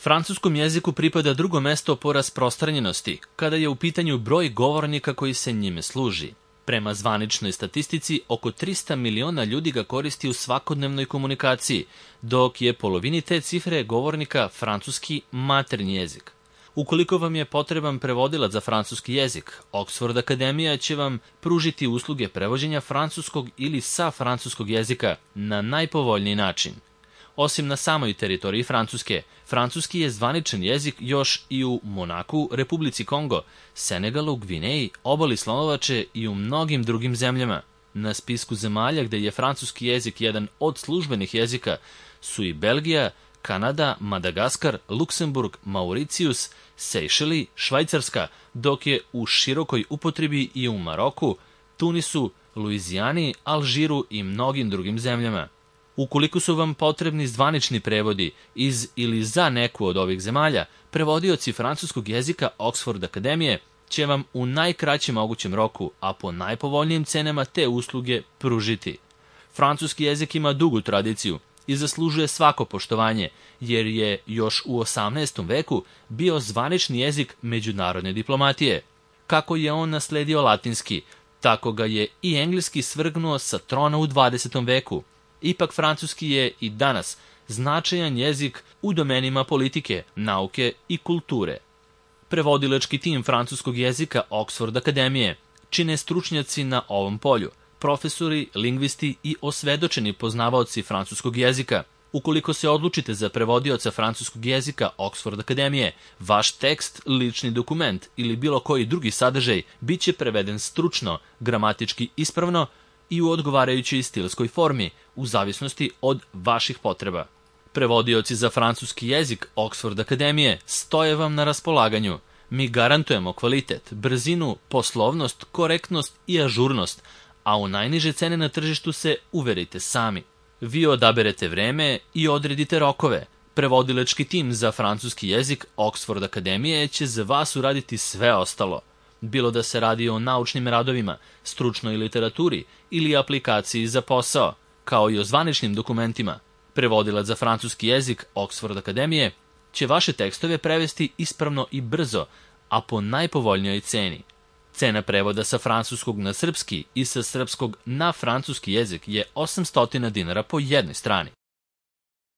Francuskom jeziku pripada drugo mesto po rasprostranjenosti, kada je u pitanju broj govornika koji se njime služi. Prema zvaničnoj statistici, oko 300 miliona ljudi ga koristi u svakodnevnoj komunikaciji, dok je polovini te cifre govornika francuski maternji jezik. Ukoliko vam je potreban prevodilac za francuski jezik, Oxford Akademija će vam pružiti usluge prevođenja francuskog ili sa francuskog jezika na najpovoljniji način. Osim na samoj teritoriji Francuske, francuski je zvaničan jezik još i u Monaku, Republici Kongo, Senegalu, Gvineji, obali Slonovače i u mnogim drugim zemljama. Na spisku zemalja gde je francuski jezik jedan od službenih jezika su i Belgija, Kanada, Madagaskar, Luksemburg, Mauricijus, Sejšeli, Švajcarska, dok je u širokoj upotrebi i u Maroku, Tunisu, Luizijani, Alžiru i mnogim drugim zemljama. Ukoliko su vam potrebni zvanični prevodi iz ili za neku od ovih zemalja, prevodioci francuskog jezika Oxford Akademije će vam u najkraćem mogućem roku, a po najpovoljnijim cenama te usluge pružiti. Francuski jezik ima dugu tradiciju i zaslužuje svako poštovanje, jer je još u 18. veku bio zvanični jezik međunarodne diplomatije. Kako je on nasledio latinski, tako ga je i engleski svrgnuo sa trona u 20. veku. Ipak francuski je i danas značajan jezik u domenima politike, nauke i kulture. Prevodilački tim francuskog jezika Oxford Akademije čine stručnjaci na ovom polju, profesori, lingvisti i osvedočeni poznavaoci francuskog jezika. Ukoliko se odlučite za prevodioca francuskog jezika Oxford Akademije, vaš tekst, lični dokument ili bilo koji drugi sadržaj bit će preveden stručno, gramatički ispravno i u odgovarajućoj stilskoj formi, u zavisnosti od vaših potreba. Prevodioci za francuski jezik Oxford Akademije stoje vam na raspolaganju. Mi garantujemo kvalitet, brzinu, poslovnost, korektnost i ažurnost, a u najniže cene na tržištu se uverite sami. Vi odaberete vreme i odredite rokove. Prevodilački tim za francuski jezik Oxford Akademije će za vas uraditi sve ostalo. Bilo da se radi o naučnim radovima, stručnoj literaturi ili aplikaciji za posao, kao i o zvaničnim dokumentima. Prevodilac za francuski jezik Oxford Akademije će vaše tekstove prevesti ispravno i brzo, a po najpovoljnijoj ceni. Cena prevoda sa francuskog na srpski i sa srpskog na francuski jezik je 800 dinara po jednoj strani.